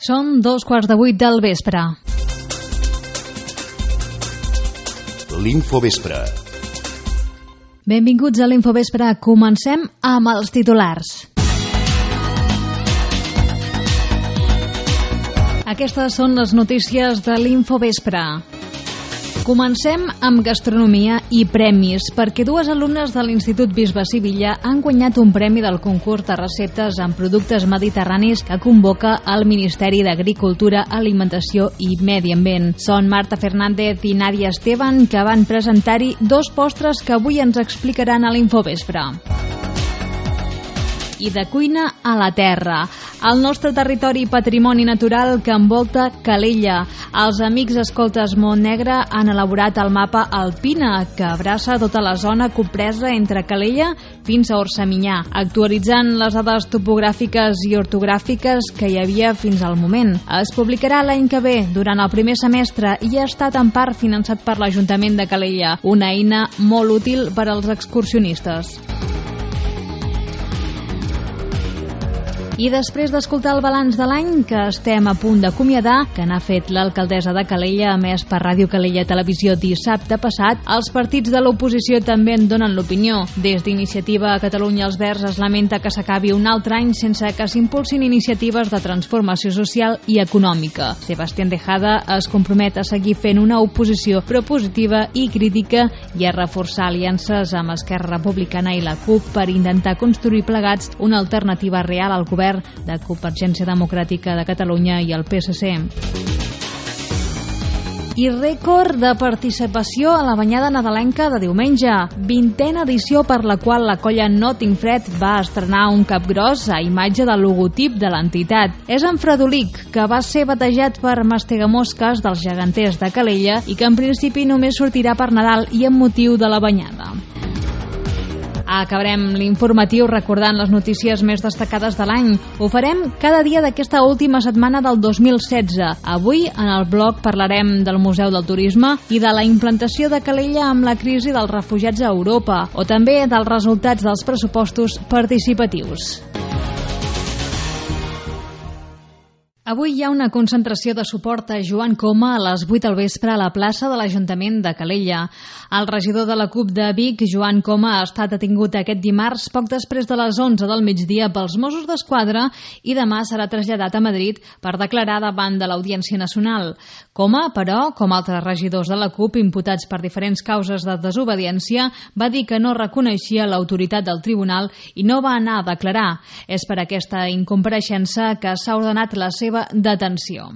Són 7:15 del vespre. L'Infovespre. Benvinguts a l'Infovespre. Comencem amb els titulars. Aquestes són les notícies de l'Infovespre. Comencem amb gastronomia i premis, perquè dues alumnes de l'Institut Bisbe Sivilla han guanyat un premi del concurs de receptes amb productes mediterranis que convoca el Ministeri d'Agricultura, Alimentació i Medi Ambient. Són Marta Fernández i Nàdia Esteban, que van presentar-hi dos postres que avui ens explicaran a l'Infovespre. I de cuina a la terra, el nostre territori patrimoni natural que envolta Calella. Els amics escoltes Montnegre han elaborat el mapa Alpina, que abraça tota la zona compresa entre Calella fins a Orsaminyà, actualitzant les dades topogràfiques i ortogràfiques que hi havia fins al moment. Es publicarà l'any que ve, durant el primer semestre, i ha estat en part finançat per l'Ajuntament de Calella, una eina molt útil per als excursionistes. I després d'escoltar el balanç de l'any que estem a punt d'acomiadar, que n'ha fet l'alcaldessa de Calella, emès per Ràdio Calella Televisió dissabte passat, els partits de l'oposició també en donen l'opinió. Des d'Iniciativa a Catalunya els Verds es lamenta que s'acabi un altre any sense que s'impulsin iniciatives de transformació social i econòmica. Sebastián Tejada es compromet a seguir fent una oposició propositiva i crítica i a reforçar aliances amb Esquerra Republicana i la CUP per intentar construir plegats una alternativa real al govern de Convergència Democràtica de Catalunya i el PSC. I rècord de participació a la banyada nadalenca de diumenge. 20a edició per la qual la colla No Tinc Fred va estrenar un capgròs a imatge del logotip de l'entitat. És en Fredolic, que va ser batejat per Mastegamosques dels geganters de Calella i que en principi només sortirà per Nadal i amb motiu de la banyada. Acabarem l'informatiu recordant les notícies més destacades de l'any. Ho farem cada dia d'aquesta última setmana del 2016. Avui, en el blog, parlarem del Museu del Turisme i de la implantació de Calella amb la crisi dels refugiats a Europa, o també dels resultats dels pressupostos participatius. Avui hi ha una concentració de suport a Joan Coma a les 8 del vespre a la plaça de l'Ajuntament de Calella. El regidor de la CUP de Vic, Joan Coma, ha estat detingut aquest dimarts poc després de les 11 del migdia pels Mossos d'Esquadra i demà serà traslladat a Madrid per declarar davant de l'Audiència Nacional. Coma, però, com altres regidors de la CUP imputats per diferents causes de desobediència, va dir que no reconeixia l'autoritat del tribunal i no va anar a declarar. És per aquesta incompareixença que s'ha ordenat la seva detenció.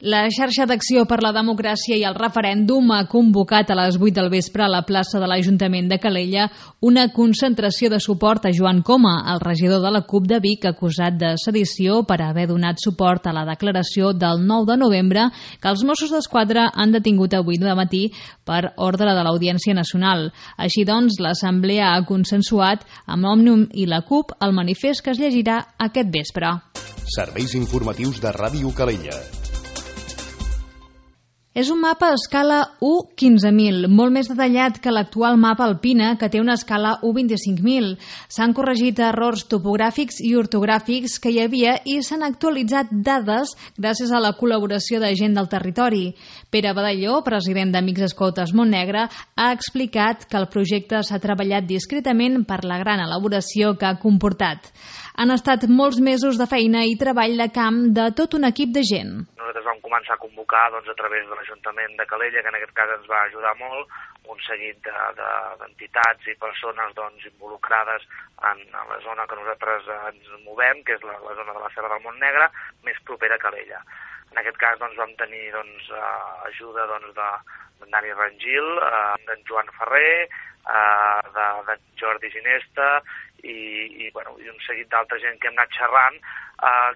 La xarxa d'acció per la democràcia i el referèndum ha convocat a les 8 del vespre a la plaça de l'Ajuntament de Calella una concentració de suport a Joan Coma, el regidor de la CUP de Vic, acusat de sedició per haver donat suport a la declaració del 9 de novembre que els Mossos d'Esquadra han detingut avui de matí per ordre de l'Audiència Nacional. Així doncs, l'Assemblea ha consensuat amb Òmnium i la CUP el manifest que es llegirà aquest vespre. Serveis informatius de Ràdio Calella. És un mapa a escala 1:15.000, molt més detallat que l'actual mapa Alpina, que té una escala 1:25.000. S'han corregit errors topogràfics i ortogràfics que hi havia i s'han actualitzat dades gràcies a la col·laboració de gent del territori. Pere Badalló, president d'Amics Escoltes Montnegre, ha explicat que el projecte s'ha treballat discretament per la gran elaboració que ha comportat. Han estat molts mesos de feina i treball de camp de tot un equip de gent. Nosaltres vam començar a convocar a través de l'Ajuntament de Calella, que en aquest cas ens va ajudar molt, un seguit d'entitats i persones involucrades en la zona que nosaltres ens movem, que és la zona de la Serra del Montnegre, més propera a Calella. En aquest cas vam tenir ajuda d'en Dani Rangil, d'en Joan Ferrer, de Jordi Ginesta i un seguit d'altra gent que hem anat xerrant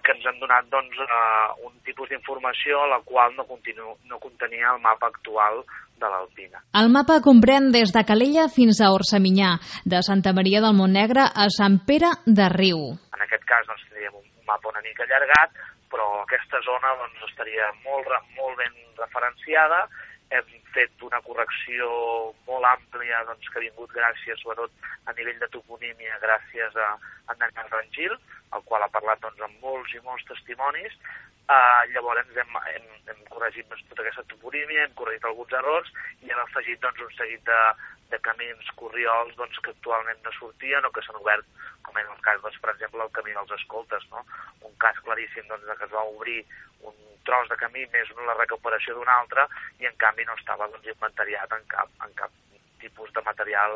que ens han donat un tipus d'informació la qual no contenia el mapa actual de l'Alpina. El mapa comprèn des de Calella fins a Orsaminyà, de Santa Maria del Montnegre a Sant Pere de Riu. En aquest cas tindríem un mapa una mica allargat, però aquesta zona estaria molt ben referenciada. Hem fet una correcció molt àmplia que ha vingut gràcies, sobretot a nivell de toponímia, gràcies a en Daniel Rangil, el qual ha parlat doncs, amb molts i molts testimonis. Llavors hem corregit tota aquesta toponímia, hem corregit alguns errors i hem afegit doncs, un seguit de camins, corriols que actualment no sortien o que s'han obert, com en el cas, per exemple, el camí dels escoltes, no? Un cas claríssim que es va obrir un tros de camí més la recuperació d'un altre i en canvi no estava inventariat en cap tipus de material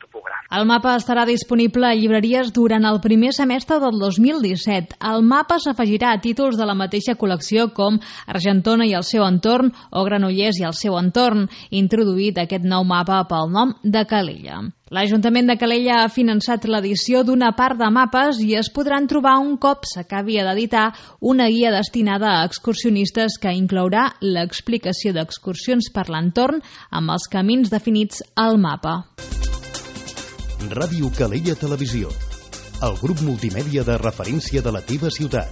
topogràfic. El mapa estarà disponible a llibreries durant el primer semestre del 2017. El mapa s'afegirà a títols de la mateixa col·lecció com Argentona i el seu entorn o Granollers i el seu entorn, introduït aquest nou mapa pel nom de Calella. L'Ajuntament de Calella ha finançat l'edició d'una part de mapes i es podran trobar un cop s'acabi d'editar una guia destinada a excursionistes que inclourà l'explicació d'excursions per l'entorn amb els camins definits al mapa. Ràdio Calella Televisió, el grup multimèdia de referència de la teva ciutat.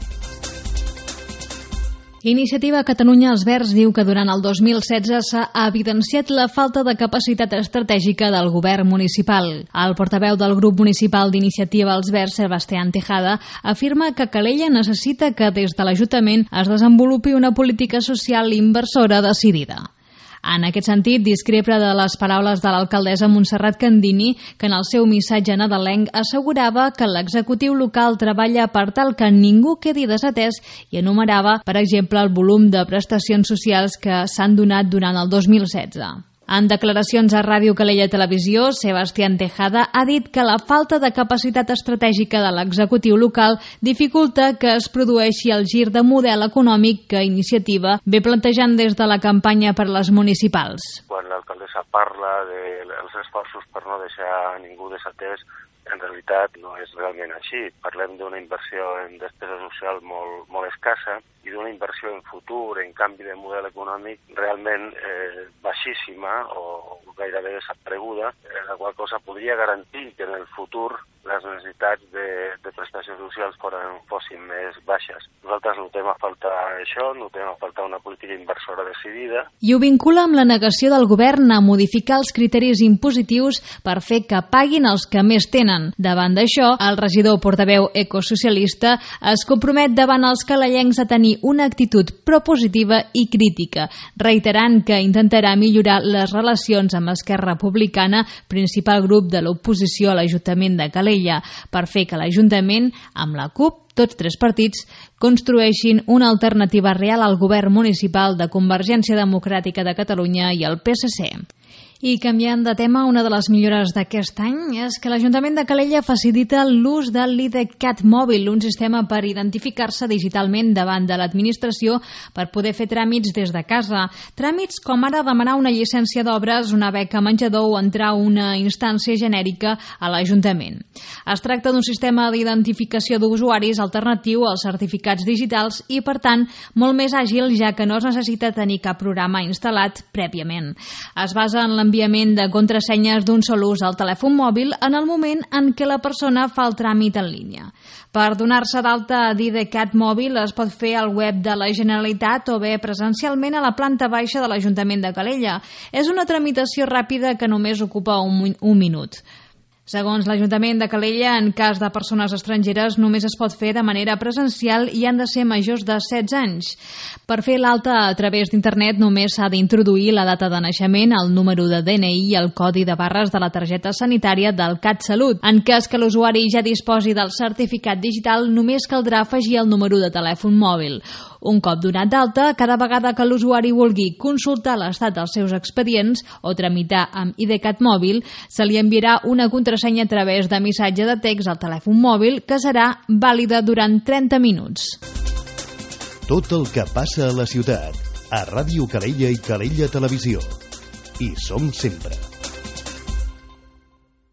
Iniciativa Catalunya Els Verds diu que durant el 2016 s'ha evidenciat la falta de capacitat estratègica del govern municipal. El portaveu del grup municipal d'Iniciativa Els Verds, Sebastián Tejada, afirma que Calella necessita que des de l'Ajuntament es desenvolupi una política social inversora decidida. En aquest sentit, discrepa de les paraules de l'alcaldessa Montserrat Candini, que en el seu missatge nadalenc assegurava que l'executiu local treballa per tal que ningú quedi desatès i enumerava, per exemple, el volum de prestacions socials que s'han donat durant el 2016. En declaracions a Ràdio Calella Televisió, Sebastián Tejada ha dit que la falta de capacitat estratègica de l'executiu local dificulta que es produeixi el gir de model econòmic que Iniciativa ve plantejant des de la campanya per les municipals. Quan l'alcaldessa parla dels esforços per no deixar ningú desatès, en realitat no és realment així. Parlem d'una inversió en despesa social molt escassa i d'una inversió en futur, en canvi de model econòmic, realment baixíssima o gairebé desapareguda, la qual cosa podria garantir que en el futur les necessitats de prestacions socials fossin més baixes. Nosaltres notem a faltar això, notem a faltar una política inversora decidida. I ho vincula amb la negació del govern a modificar els criteris impositius per fer que paguin els que més tenen. Davant d'això, el regidor portaveu ecosocialista es compromet davant els calellencs a tenir una actitud propositiva i crítica, reiterant que intentarà millorar les relacions amb Esquerra Republicana, principal grup de l'oposició a l'Ajuntament de Calella, per fer que l'Ajuntament, amb la CUP, tots tres partits, construeixin una alternativa real al govern municipal de Convergència Democràtica de Catalunya i el PSC. I canviant de tema, una de les millores d'aquest any és que l'Ajuntament de Calella facilita l'ús de l'IDCAT mòbil, un sistema per identificar-se digitalment davant de l'administració per poder fer tràmits des de casa. Tràmits com ara demanar una llicència d'obres, una beca menjador o entrar a una instància genèrica a l'Ajuntament. Es tracta d'un sistema d'identificació d'usuaris alternatiu als certificats digitals i, per tant, molt més àgil, ja que no es necessita tenir cap programa instal·lat prèviament. Es basa en l'enviament de contrasenyes d'un sol ús al telèfon mòbil en el moment en què la persona fa el tràmit en línia. Per donar-se d'alta a d'IDCAT mòbil es pot fer al web de la Generalitat o bé presencialment a la planta baixa de l'Ajuntament de Calella. És una tramitació ràpida que només ocupa un minut. Segons l'Ajuntament de Calella, en cas de persones estrangeres només es pot fer de manera presencial i han de ser majors de 16 anys. Per fer l'alta a través d'internet només s'ha d'introduir la data de naixement, el número de DNI i el codi de barres de la targeta sanitària del CatSalut. En cas que l'usuari ja disposi del certificat digital, només caldrà afegir el número de telèfon mòbil. Un cop donat d'alta, cada vegada que l'usuari vulgui consultar l'estat dels seus expedients o tramitar amb IDCAT mòbil, se li enviarà una contrasenya a través de missatge de text al telèfon mòbil que serà vàlida durant 30 minuts. Tot el que passa a la ciutat, a Ràdio Calella i Calella Televisió. Hi som sempre.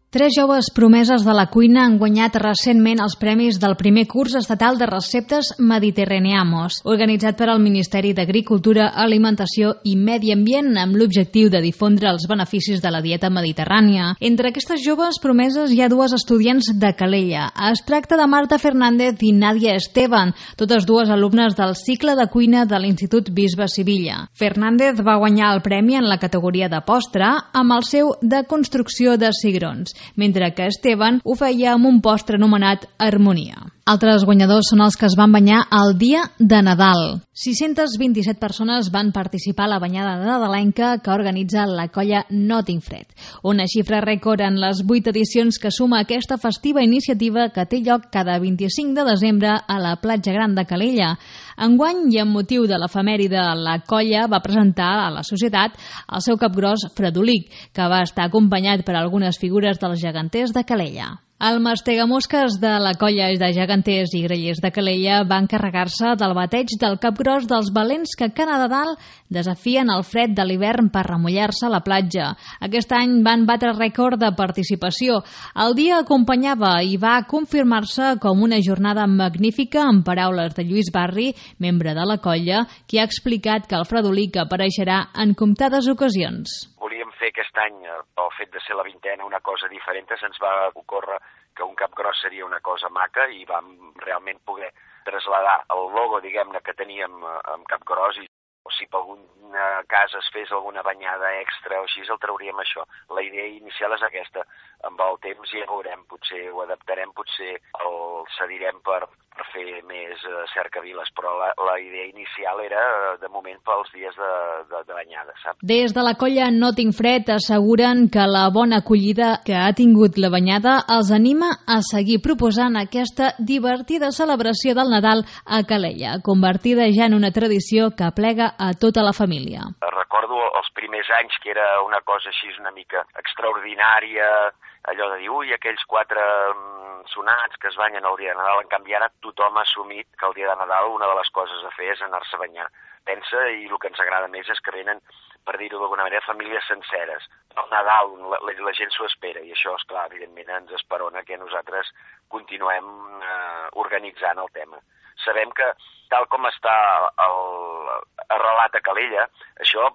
3 joves promeses de la cuina han guanyat recentment els premis del primer curs estatal de receptes Mediterraneamos, organitzat per al Ministeri d'Agricultura, Alimentació i Medi Ambient amb l'objectiu de difondre els beneficis de la dieta mediterrània. Entre aquestes joves promeses hi ha 2 estudiants de Calella. Es tracta de Marta Fernández i Nàdia Esteban, totes 2 alumnes del cicle de cuina de l'Institut Bisbe Sivilla. Fernández va guanyar el premi en la categoria de postre amb el seu de construcció de cigrons, mentre que Esteban ho feia amb un postre anomenat Harmonia. Altres guanyadors són els que es van banyar el dia de Nadal. 627 persones van participar a la banyada nadalenca que organitza la colla Notting Fred. Una xifra rècord en les 8 edicions que suma aquesta festiva iniciativa que té lloc cada 25 de desembre a la platja gran de Calella. Enguany, i amb motiu de l'efemèride, la colla va presentar a la societat el seu capgros Fredolic, que va estar acompanyat per algunes figures dels geganters de Calella. El mastegamosques de la colla de geganters i grellers de Calella va encarregar-se del bateig del capgros dels valents que cada Nadal desafien el fred de l'hivern per remullar-se a la platja. Aquest any van batre rècord de participació. El dia acompanyava i va confirmar-se com una jornada magnífica, en paraules de Lluís Barri, membre de la colla, qui ha explicat que el Fredolic apareixerà en comptades ocasions. Volíem fer aquest any, pel fet de ser la 20a, una cosa diferent. Se'ns va ocórrer que un capgros seria una cosa maca i vam realment poder traslladar el logo, diguem-ne, que teníem amb capgros, i si per alguna casa es fes alguna banyada extra o així, el trauríem això. La idea inicial és aquesta. Amb el temps ja veurem, potser ho adaptarem, potser el cedirem per fer més cercaviles, però la idea inicial era, de moment, pels dies de banyada, saps? Des de la colla Notting Fred asseguren que la bona acollida que ha tingut la banyada els anima a seguir proposant aquesta divertida celebració del Nadal a Calella, convertida ja en una tradició que aplega a tota la família. Recordo els primers anys que era una cosa així una mica extraordinària, allò de dir, ui, aquells 4 sonats que es banyen el dia de Nadal. En canvi, ara tothom ha assumit que el dia de Nadal una de les coses a fer és anar-se a banyar. Pensa, i el que ens agrada més és que venen, per dir-ho d'alguna manera, famílies senceres. El Nadal, la gent s'ho espera, i això, esclar, evidentment ens esperona que nosaltres continuem organitzant el tema. Sabem que, tal com està arrelat a Calella, això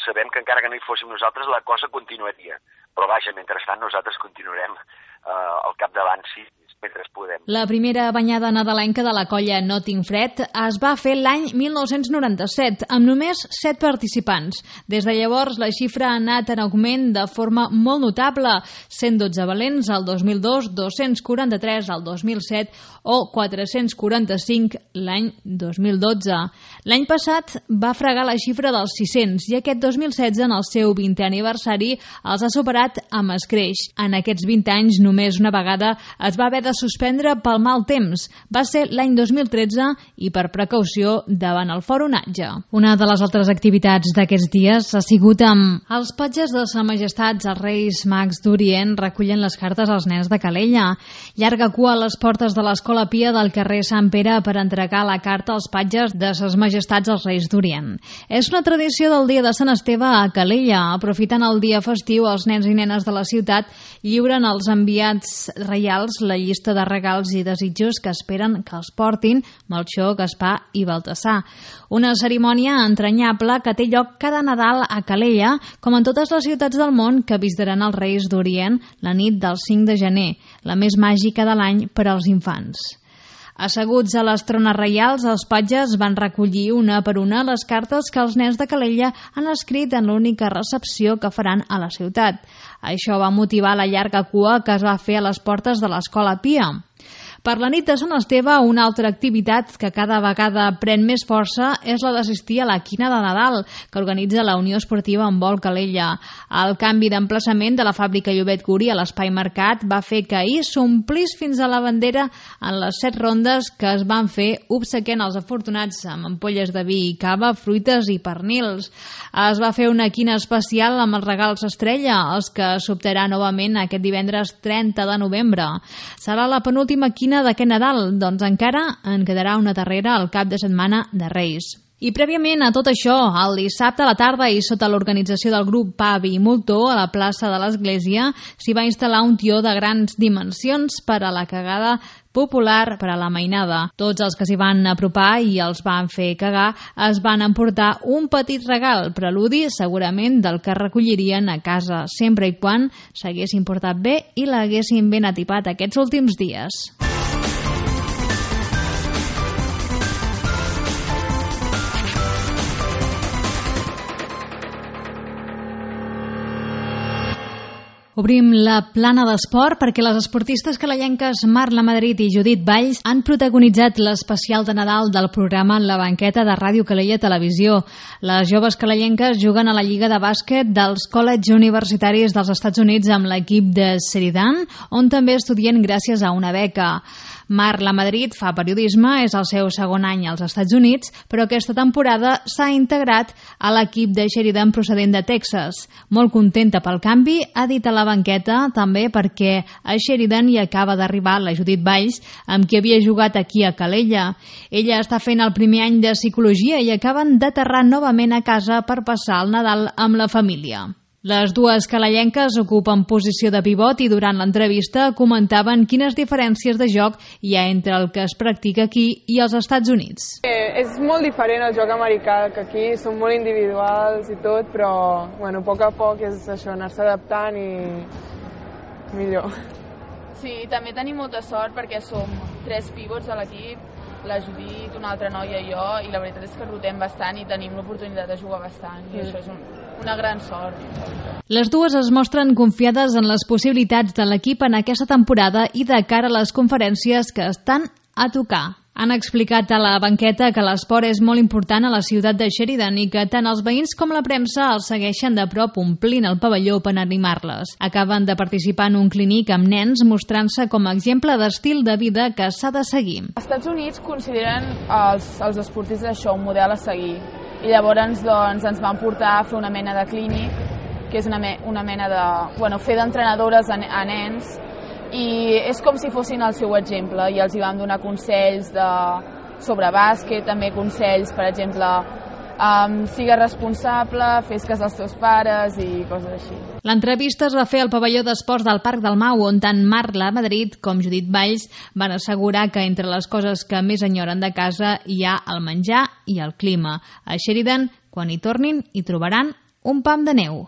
sabem que encara que no hi fóssim nosaltres, la cosa continuaria. Però vaja, mentrestant nosaltres continuarem al capdavant, sí, mentre podem. La primera banyada nadalenca de la colla Notting Fred es va fer l'any 1997, amb només 7 participants. Des de llavors, la xifra ha anat en augment de forma molt notable, 112 valents al 2002, 243 al 2007 o 445 l'any 2012. L'any passat va fregar la xifra dels 600 i aquest 2016, en el seu 20è aniversari, els ha superat amb escreix. En aquests 20 anys, només una vegada es va haver de suspendre pel mal temps. Va ser l'any 2013 i per precaució davant el fort onatge. Una de les altres activitats d'aquests dies ha sigut amb els patges de Sa Majestat, els Reis Mags d'Orient, recullen les cartes als nens de Calella. Llarga cua a les portes de l'Escola Pia del carrer Sant Pere per entregar la carta als patges de Ses Majestats als Reis d'Orient. És una tradició del dia de Sant Esteve a Calella. Aprofitant el dia festiu, els nens i nenes de la ciutat lliuren als enviats reials la llista de regals i desitjos que esperen que els portin Melcior, Gaspar i Baltasar. Una cerimònia entranyable que té lloc cada Nadal a Calella, com en totes les ciutats del món que visitaran els Reis d'Orient la nit del 5 de gener, la més màgica de l'any per als infants. Asseguts a les trones reials, els patges van recollir una per una les cartes que els nens de Calella han escrit en l'única recepció que faran a la ciutat. Això va motivar la llarga cua que es va fer a les portes de l'Escola Pia. Per la nit de Sant Esteve, una altra activitat que cada vegada pren més força és la d'assistir a la Quina de Nadal, que organitza la Unió Esportiva Handbol Calella. El canvi d'emplaçament de la fàbrica Llobet Curi a l'Espai Mercat va fer que ahir s'omplís fins a la bandera en les 7 rondes que es van fer obsequiant els afortunats amb ampolles de vi i cava, fruites i pernils. Es va fer una quina especial amb els regals estrella, els que s'optarà novament aquest divendres 30 de novembre. Serà la penúltima quina d'aquest Nadal, doncs encara en quedarà una darrera al cap de setmana de Reis. I prèviament a tot això, el dissabte a la tarda i sota l'organització del grup Pavi i Moltó a la plaça de l'Església s'hi va instal·lar un tió de grans dimensions per a la cagada popular per a la mainada. Tots els que s'hi van apropar i els van fer cagar es van emportar un petit regal, preludi segurament del que recollirien a casa, sempre i quan s'haguessin portat bé i l'haguessin ben atipat aquests últims dies. Obrim la plana d'esport perquè les esportistes calellenques Marla Madrid i Judit Valls han protagonitzat l'especial de Nadal del programa en la banqueta de Ràdio Calella Televisió. Les joves calellenques juguen a la Lliga de Bàsquet dels College Universitaris dels Estats Units amb l'equip de Sheridan, on també estudien gràcies a una beca. Marla Madrid fa periodisme, és el seu segon any als Estats Units, però aquesta temporada s'ha integrat a l'equip de Sheridan procedent de Texas. Molt contenta pel canvi, ha dit a la banqueta, també perquè a Sheridan hi acaba d'arribar la Judit Valls, amb qui havia jugat aquí a Calella. Ella està fent el primer any de psicologia i acaben d'aterrar novament a casa per passar el Nadal amb la família. Les dues calellenques ocupen posició de pivot i durant l'entrevista comentaven quines diferències de joc hi ha entre el que es practica aquí i als Estats Units. És molt diferent el joc americà, que aquí són molt individuals i tot, però a poc a poc és això, anar-se adaptant i millor. Sí, també tenim molta sort perquè som 3 pivots a l'equip, la Judit, una altra noia i jo, i la veritat és que rotem bastant i tenim l'oportunitat de jugar bastant, i això és una gran sort. Les dues es mostren confiades en les possibilitats de l'equip en aquesta temporada i de cara a les conferències que estan a tocar. Han explicat a la banqueta que l'esport és molt important a la ciutat de Sheridan i que tant els veïns com la premsa els segueixen de prop omplint el pavelló per animar-les. Acaben de participar en un clínic amb nens mostrant-se com a exemple d'estil de vida que s'ha de seguir. Els Estats Units consideren els esportistes això un model a seguir i llavors ens van portar a fer una mena de clínic, que és una mena de fer d'entrenadores a nens, i és com si fossin el seu exemple i els hi vam donar consells sobre bàsquet, també consells, per exemple, sigues responsable, fes cas dels teus pares i coses així. L'entrevista es va fer al pavelló d'esports del Parc del Mau, on tant Marla Madrid com Judit Valls van assegurar que entre les coses que més enyoren de casa hi ha el menjar i el clima. A Sheridan, quan hi tornin, hi trobaran un pam de neu.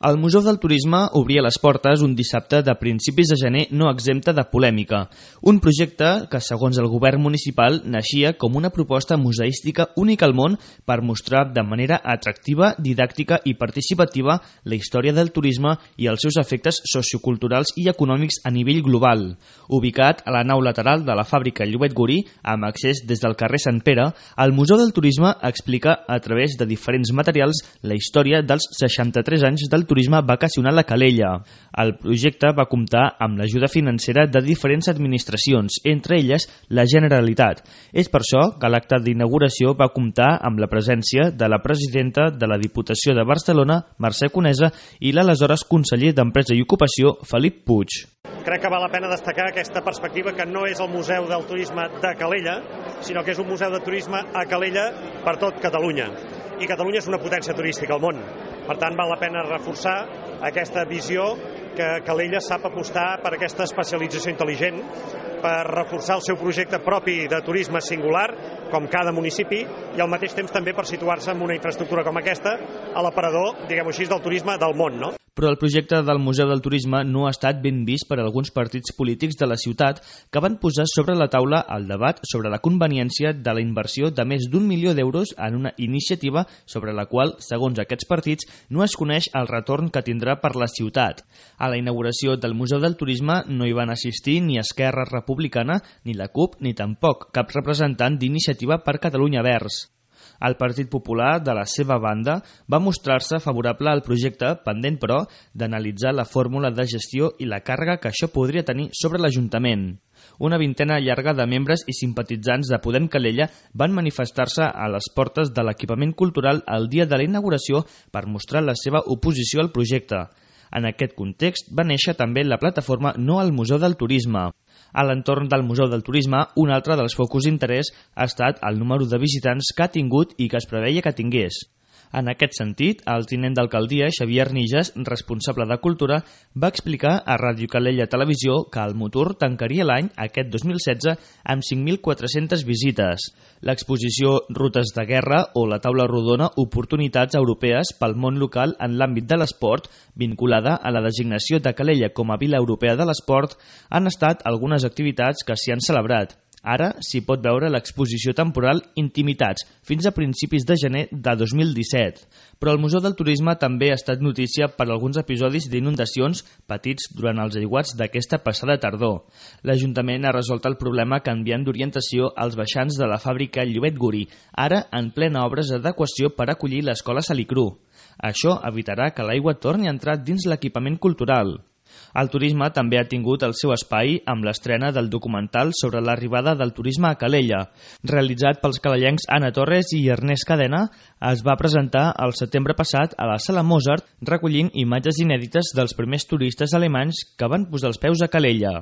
El Museu del Turisme obria les portes un dissabte de principis de gener no exempta de polèmica. Un projecte que, segons el govern municipal, naixia com una proposta museística única al món per mostrar de manera atractiva, didàctica i participativa la història del turisme i els seus efectes socioculturals i econòmics a nivell global. Ubicat a la nau lateral de la fàbrica Llobet Gorí, amb accés des del carrer Sant Pere, el Museu del Turisme explica a través de diferents materials la història dels 63 anys del turisme vacacional a Calella. El projecte va comptar amb l'ajuda financera de diferents administracions, entre elles la Generalitat. És per això que l'acte d'inauguració va comptar amb la presència de la presidenta de la Diputació de Barcelona, Mercè Conesa, i l'aleshores conseller d'Empresa i Ocupació, Felip Puig. Crec que val la pena destacar aquesta perspectiva que no és el Museu del Turisme de Calella, sinó que és un museu de turisme a Calella per tot Catalunya. I Catalunya és una potència turística al món. Per tant, val la pena reforçar aquesta visió que Calella sap apostar per aquesta especialització intel·ligent, per reforçar el seu projecte propi de turisme singular, com cada municipi, i al mateix temps també per situar-se en una infraestructura com aquesta a l'aparador, diguem-ho així, del turisme del món, no? Però el projecte del Museu del Turisme no ha estat ben vist per alguns partits polítics de la ciutat que van posar sobre la taula el debat sobre la conveniència de la inversió de més d'1 milió d'euros en una iniciativa sobre la qual, segons aquests partits, no es coneix el retorn que tindrà per la ciutat. A la inauguració del Museu del Turisme no hi van assistir ni Esquerra Republicana, ni la CUP, ni tampoc cap representant d'Iniciativa per Catalunya Verds. El Partit Popular, de la seva banda, va mostrar-se favorable al projecte, pendent, però, d'analitzar la fórmula de gestió i la càrrega que això podria tenir sobre l'Ajuntament. Una vintena llarga de membres i simpatitzants de Podem Calella van manifestar-se a les portes de l'equipament cultural el dia de la inauguració per mostrar la seva oposició al projecte. En aquest context va néixer també la plataforma No al Museu del Turisme. A l'entorn del Museu del Turisme, un altre dels focus d'interès ha estat el número de visitants que ha tingut i que es preveia que tingués. En aquest sentit, el tinent d'alcaldia, Xavier Nijas, responsable de Cultura, va explicar a Ràdio Calella Televisió que el Motor tancaria l'any, aquest 2016, amb 5.400 visites. L'exposició Rutes de Guerra o la taula rodona Oportunitats Europees pel món local en l'àmbit de l'esport, vinculada a la designació de Calella com a Vila Europea de l'Esport, han estat algunes activitats que s'hi han celebrat. Ara s'hi pot veure l'exposició temporal Intimitats, fins a principis de gener de 2017. Però el Museu del Turisme també ha estat notícia per alguns episodis d'inundacions patits durant els aiguats d'aquesta passada tardor. L'Ajuntament ha resolt el problema canviant d'orientació als baixants de la fàbrica Llobet Gurí, ara en plena obres d'adequació per acollir l'escola Salicru. Això evitarà que l'aigua torni a entrar dins l'equipament cultural. El turisme també ha tingut el seu espai amb l'estrena del documental sobre l'arribada del turisme a Calella. Realitzat pels calellencs Anna Torres i Ernest Cadena, es va presentar el setembre passat a la Sala Mozart, recollint imatges inèdites dels primers turistes alemanys que van posar els peus a Calella.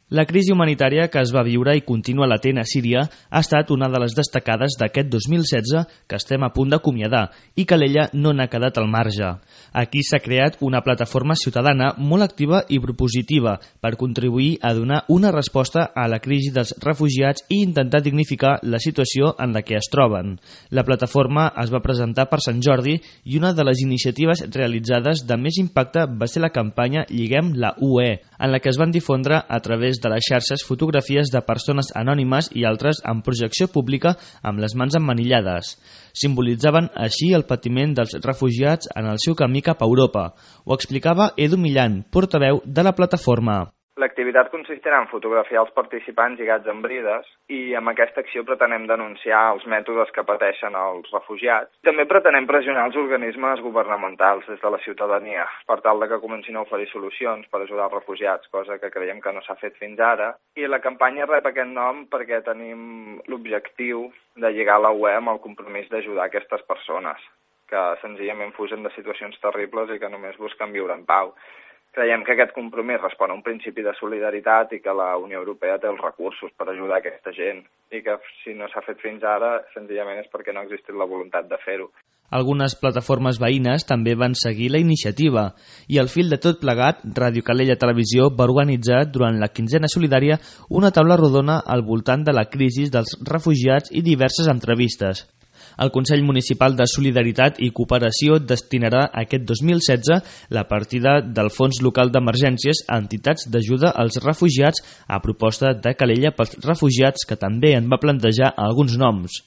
La crisi humanitària que es va viure i continua latent a Síria ha estat una de les destacades d'aquest 2016 que estem a punt d'acomiadar i Calella no n'ha quedat al marge. Aquí s'ha creat una plataforma ciutadana molt activa i propositiva per contribuir a donar una resposta a la crisi dels refugiats i intentar dignificar la situació en la que es troben. La plataforma es va presentar per Sant Jordi i una de les iniciatives realitzades de més impacte va ser la campanya Lliguem la UE, en la que es van difondre a través de les xarxes fotografies de persones anònimes i altres en projecció pública amb les mans emmanillades. Simbolitzaven així el patiment dels refugiats en el seu camí cap a Europa. Ho explicava Edu Millan, portaveu de la plataforma. L'activitat consistirà en fotografiar els participants lligats amb brides i amb aquesta acció pretenem denunciar els mètodes que pateixen els refugiats. També pretenem pressionar els organismes governamentals des de la ciutadania per tal de que comencin a oferir solucions per ajudar els refugiats, cosa que creiem que no s'ha fet fins ara. I la campanya rep aquest nom perquè tenim l'objectiu de lligar la UE amb el compromís d'ajudar aquestes persones que senzillament fugen de situacions terribles i que només busquen viure en pau. Creiem que aquest compromís respon a un principi de solidaritat i que la Unió Europea té els recursos per ajudar aquesta gent i que si no s'ha fet fins ara senzillament és perquè no ha existit la voluntat de fer-ho. Algunes plataformes veïnes també van seguir la iniciativa i al fil de tot plegat, Ràdio Calella Televisió va organitzar durant la quinzena solidària una taula rodona al voltant de la crisi dels refugiats i diverses entrevistes. El Consell Municipal de Solidaritat i Cooperació destinarà aquest 2016 la partida del Fons Local d'Emergències a entitats d'ajuda als refugiats a proposta de Calella pels refugiats, que també en va plantejar alguns noms.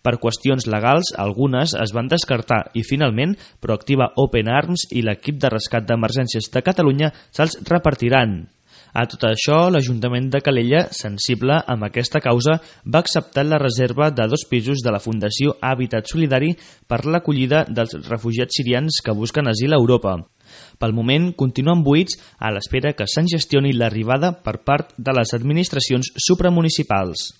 Per qüestions legals, algunes es van descartar i finalment Proactiva Open Arms i l'equip de rescat d'emergències de Catalunya se'ls repartiran. A tot això, l'Ajuntament de Calella, sensible amb aquesta causa, va acceptar la reserva de 2 pisos de la Fundació Hàbitat Solidari per l'acollida dels refugiats sirians que busquen asil a Europa. Pel moment, continuen buits a l'espera que se'n gestioni l'arribada per part de les administracions supramunicipals.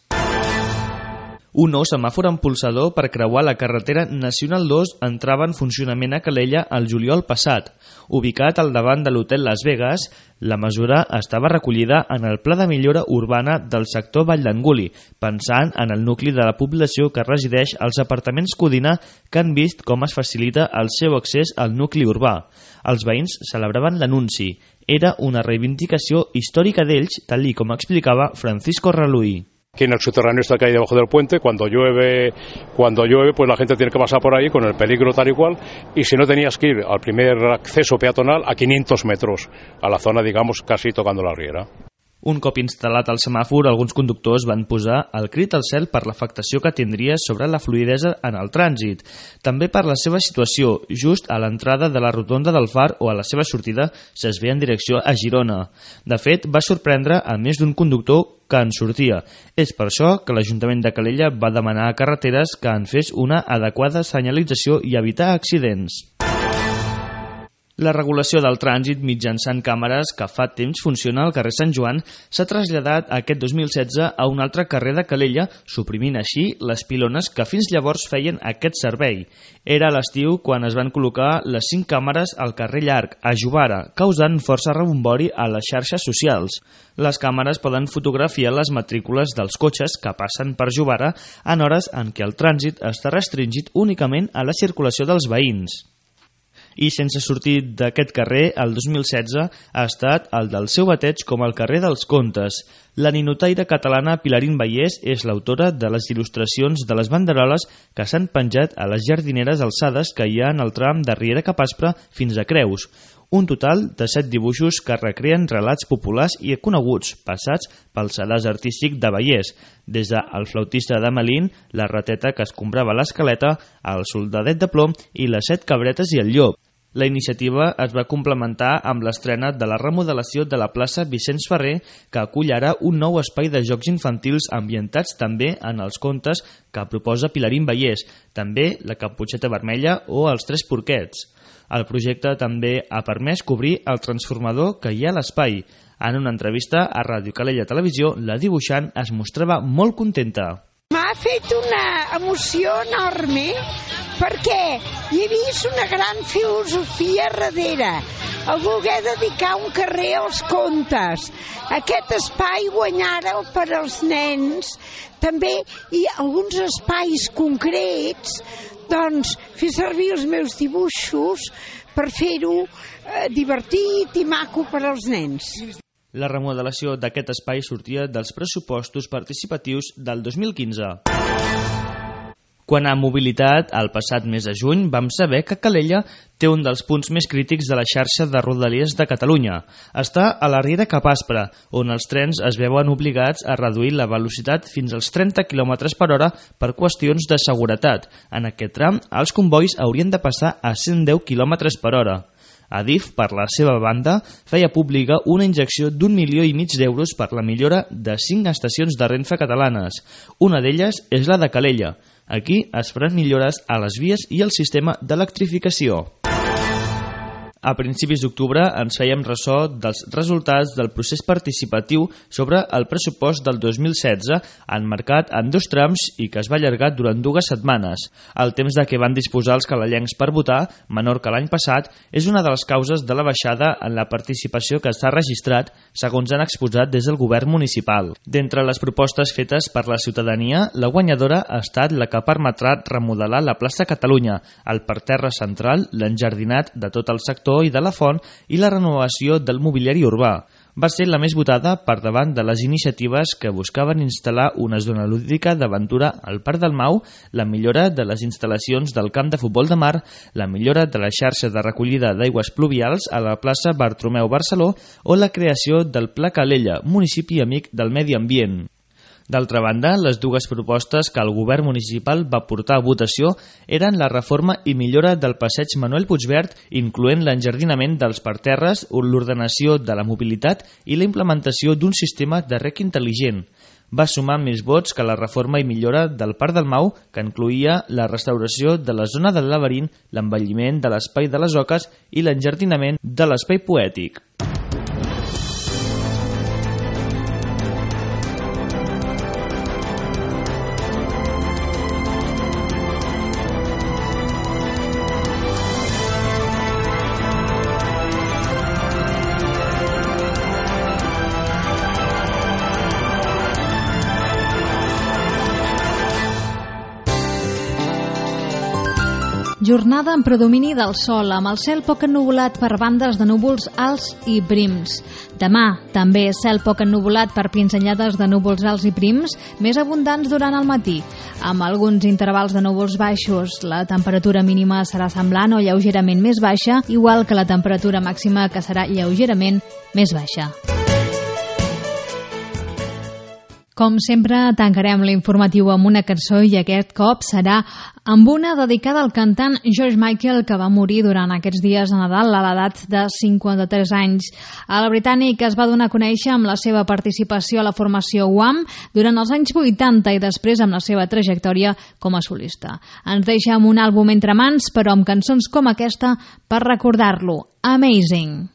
Un nou semàfor empolsador per creuar la carretera Nacional 2 entrava en funcionament a Calella el juliol passat. Ubicat al davant de l'hotel Las Vegas, la mesura estava recollida en el Pla de Millora Urbana del sector Vall d'Anguli, pensant en el nucli de la població que resideix als apartaments Codina, que han vist com es facilita el seu accés al nucli urbà. Els veïns celebraven l'anunci. Era una reivindicació històrica d'ells, tal com explicava Francisco Raluí. Aquí en el subterráneo está que hay debajo del puente, cuando llueve pues la gente tiene que pasar por ahí con el peligro tal y cual, y si no tenías que ir al primer acceso peatonal a 500 metros, a la zona, digamos, casi tocando la riera. Un cop instal·lat el semàfor, alguns conductors van posar el crit al cel per l'afectació que tindria sobre la fluïdesa en el trànsit. També per la seva situació, just a l'entrada de la rotonda del Far o a la seva sortida s'es ve en direcció a Girona. De fet, va sorprendre a més d'un conductor que en sortia. És per això que l'Ajuntament de Calella va demanar a Carreteres que en fes una adequada senyalització i evitar accidents. La regulació del trànsit mitjançant càmeres que fa temps funciona al carrer Sant Joan s'ha traslladat aquest 2016 a un altre carrer de Calella, suprimint així les pilones que fins llavors feien aquest servei. Era a l'estiu quan es van col·locar les 5 càmeres al carrer Llarg, a Jovara, causant força rebombori a les xarxes socials. Les càmeres poden fotografiar les matrícules dels cotxes que passen per Jovara en hores en què el trànsit està restringit únicament a la circulació dels veïns. I sense sortir d'aquest carrer, el 2016 ha estat el del seu bateig com el carrer dels Contes. La ninotaire catalana Pilarín Vallès és l'autora de les il·lustracions de les banderoles que s'han penjat a les jardineres alçades que hi ha en el tram de Riera Cap Aspre fins a Creus. Un total de 7 dibuixos que recreen relats populars i coneguts, passats pel sedàs artístic de Vallès, des del flautista de Melín, la rateta que escombrava l'escaleta, el soldadet de plom i les 7 cabretes i el llop. La iniciativa es va complementar amb l'estrena de la remodelació de la plaça Vicenç Ferrer, que acull ara un nou espai de jocs infantils ambientats també en els contes que proposa Pilarín Vallès, també la Caputxeta Vermella o els 3 porquets. El projecte també ha permès cobrir el transformador que hi ha a l'espai. En una entrevista a Ràdio Calella Televisió, la dibuixant es mostrava molt contenta. M'ha fet una emoció enorme perquè hi he vist una gran filosofia darrere, el voler dedicar un carrer als contes. Aquest espai guanyar-el per als nens, també i alguns espais concrets, doncs fer servir els meus dibuixos per fer-ho divertit i maco per als nens. La remodelació d'aquest espai sortia dels pressupostos participatius del 2015. Quant a mobilitat, el passat mes de juny vam saber que Calella té un dels punts més crítics de la xarxa de rodalies de Catalunya. Està a la Riera Cap Aspre, on els trens es veuen obligats a reduir la velocitat fins als 30 km/h per qüestions de seguretat. En aquest tram, els combois haurien de passar a 110 km/h. Adif, per la seva banda, feia pública una injecció d'1,5 milions d'euros per la millora de 5 estacions de Renfe catalanes. Una d'elles és la de Calella. Aquí es faran millores a les vies i al sistema d'electrificació. A principis d'octubre ens fèiem ressò dels resultats del procés participatiu sobre el pressupost del 2016, emmarcat en 2 trams i que es va allargar durant 2 setmanes. El temps de què van disposar els calellencs per votar, menor que l'any passat, és una de les causes de la baixada en la participació que s'ha registrat, segons han exposat des del govern municipal. D'entre les propostes fetes per la ciutadania, la guanyadora ha estat la que permetrà remodelar la plaça Catalunya, el parterre central, l'enjardinat de tot el sector i de la font i la renovació del mobiliari urbà. Va ser la més votada per davant de les iniciatives que buscaven instal·lar una zona lúdica d'aventura al Parc del Mau, la millora de les instal·lacions del camp de futbol de mar, la millora de la xarxa de recollida d'aigües pluvials a la plaça Bartomeu Barceló o la creació del Pla Calella, municipi amic del medi ambient. D'altra banda, les 2 propostes que el govern municipal va portar a votació eren la reforma i millora del passeig Manuel Puigverd, incloent l'enjardinament dels parterres, l'ordenació de la mobilitat i la implementació d'un sistema de rec intel·ligent. Va sumar més vots que la reforma i millora del Parc del Mau, que incloïa la restauració de la zona del laberint, l'embelliment de l'espai de les oques i l'enjardinament de l'espai poètic. Jornada amb predomini del sol, amb el cel poc ennuvolat per bandes de núvols alts i prims. Demà, també cel poc ennuvolat per pinzellades de núvols alts i prims, més abundants durant el matí, amb alguns intervals de núvols baixos. La temperatura mínima serà semblant o lleugerament més baixa, igual que la temperatura màxima, que serà lleugerament més baixa. Com sempre, tancarem l'informatiu amb una cançó i aquest cop serà amb una dedicada al cantant George Michael, que va morir durant aquests dies de Nadal a l'edat de 53 anys. El britànic es va donar a conèixer amb la seva participació a la formació Wham! Durant els anys 80 i després amb la seva trajectòria com a solista. Ens deixa amb un àlbum entre mans, però amb cançons com aquesta per recordar-lo. Amazing!